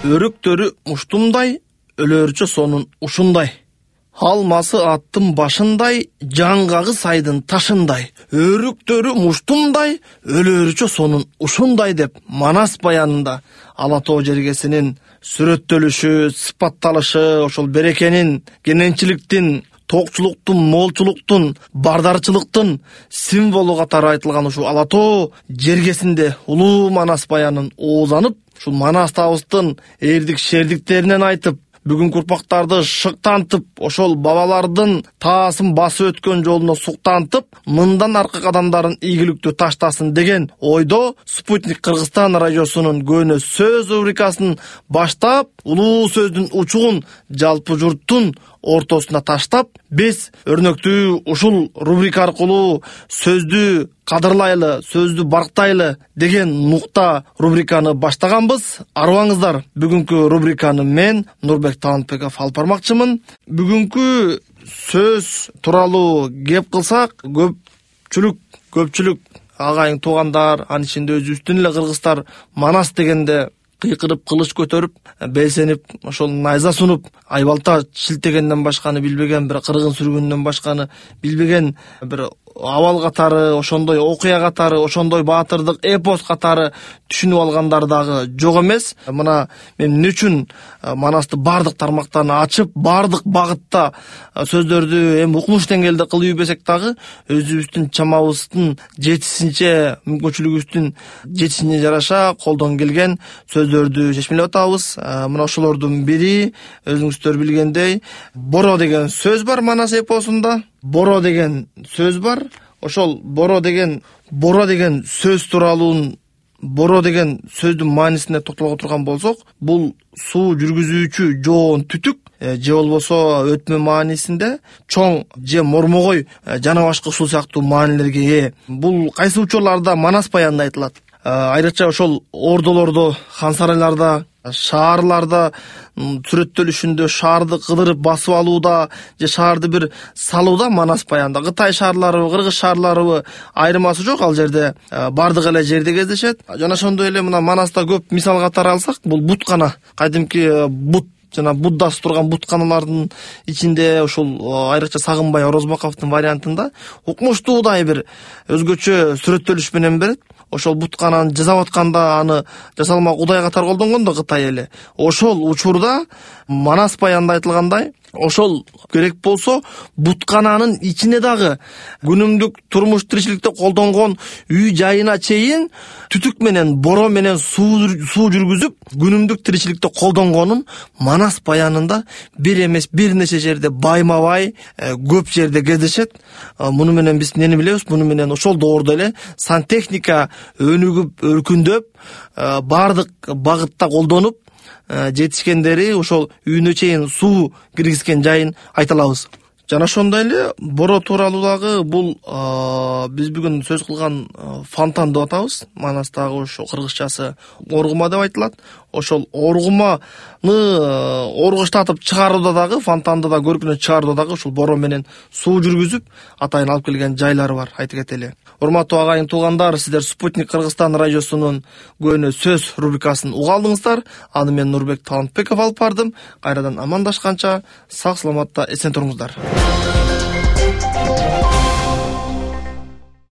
Өрүктөрү муштумдай, өлөрчө сонун ушундай. Алмасы аттын башындай, жаңгагы сайдын ташындай. Өрүктөрү муштумдай, өлөрчө сонун ушундай деп Манас баянында Ала тоо жергесинин сүрөттөлүшү, сыпатталышы, ошол берекенин, кененчиликтин, токчулуктун, молчулуктун, бардарчылыктын символу катары айтылган ушул Ала тоо жергесинде улуу Манас баянын оозанып, ушул Манас табыстын эрдик шердиктеринен айтып, бүгүнкү урпактарды шыктантып, ошол бабалардын таасын басып өткөн жолуна суктантып, мындан аркы кадамдарын ийгиликтүү таштасын деген ойдо Спутник Кыргызстан радиосунун көөнө сөз рубрикасын баштап, улуу сөздүн учугун жалпы журттун ортосуна таштап, биз өрнөктүү ушул рубрика аркылуу сөздү кадырлайлы, сөздү барктайлы деген нукта рубриканы баштаганбыз. Арыбаңыздар, бүгүнкү рубриканы мен Нурбек Талантбеков алып бармакчымын. Бүгүнкү сөз тууралуу кеп кылсак, көпчүлүк агайын туугандар, анын ичинде өзүбүздүн эле кыргыздар Манас дегенде кыйкырып, кылыч көтөрүп, белсенип, ошол найза сунуп, айбалта шилтегенден башканы билбеген, бир кыргын сүргүндөн башканы билбеген бир абал катары, ошондой окуя катары, ошондой баатырдык эпос катары түшүнүп алгандар дагы жок эмес. Мына мен эмне үчүн Манасты бардык тармактарын ачып, бардык багытта сөздөрдү эми укмуш деңгээлде кылып ийбесек дагы, өзүбүздүн чамабыздын жетишинче, мүмкүнчүлүгүбүздүн жетишине жараша колдон келген сөздөрдү чечмелеп атабыз. Мына ошолордун бири, өзүңүздөр билгендей, боро деген сөз бар Манас эпосунда. Боро деген сөз бар. Ошол боро деген сөз тууралуу, боро деген сөздүн маанисине токтолго турган болсок, бул суу жүргүзүүчү жоон түтүк, же болбосо өтмө маанисинде чоң же мормогой жана башка ушул сыяктуу маанилерге ээ. Бул кайсы учурларда Манас баянында айтылат? Айрыкча ошол ордолордо, хан сарайларда, шаарларда сүрөттөлүшүндө, шаарды кыдырып басып алууда же шаарды бир салууда Манас баянда. Кытай шаарларыбы, кыргыз шаарларыбы айырмасы жок, ал жерде бардык эле жерде кездешет. Жана ошондой эле мына Манаста көп мисал катары алсак, бул буткана, кадимки бут жана буддасы турган бутканалардын ичинде ушул айрыкча Сагынбай Орозбаковдун вариантында укмуштуудай бир өзгөчө сүрөттөлүш менен берет. Ошол буткананы жасап атканда аны жасалма Кудай катары колдонгон да Кытай эли. Ошол учурда Манас баянында айтылгандай, ошол керек болсо буткананын ичине дагы күнүмдүк турмуш тиричиликте колдонгон үй жайына чейин түтүк менен, боро менен суу жүргүзүп, күнүмдүк тиричиликте колдонгонун Манас баянында бир эмес бир нече жерде байма-бай көп жерде кездешет. Муну менен биз эмнени билебиз? Муну менен ошол доордо эле сантехника өнүгүп, өркүндөп, бардык багытта колдонуп жетишкендери, ошол үйүнө чейин суу киргизген жайын айта алабыз. Жана ошондой эле боро тууралуу дагы бул биз бүгүн сөз кылган фонтан деп атабыз. Манастагы ошо кыргызчасы оргума деп айтылат. Ошол оргуманы оргуштатып чыгарууда дагы, фонтанды да көркүнө чыгарууда дагы ушул боро менен суу жүргүзүп атайын алып келген жайлары бар, айта кетели. Урматтуу агайын туугандар, сиздер Спутник Кыргызстан радиосунун көөнө сөз рубрикасын уга алдыңыздар. Аны мен Нурбек Талантбеков алып бардым. Кайрадан амандашканча сак саламатта эсен туруңуздар.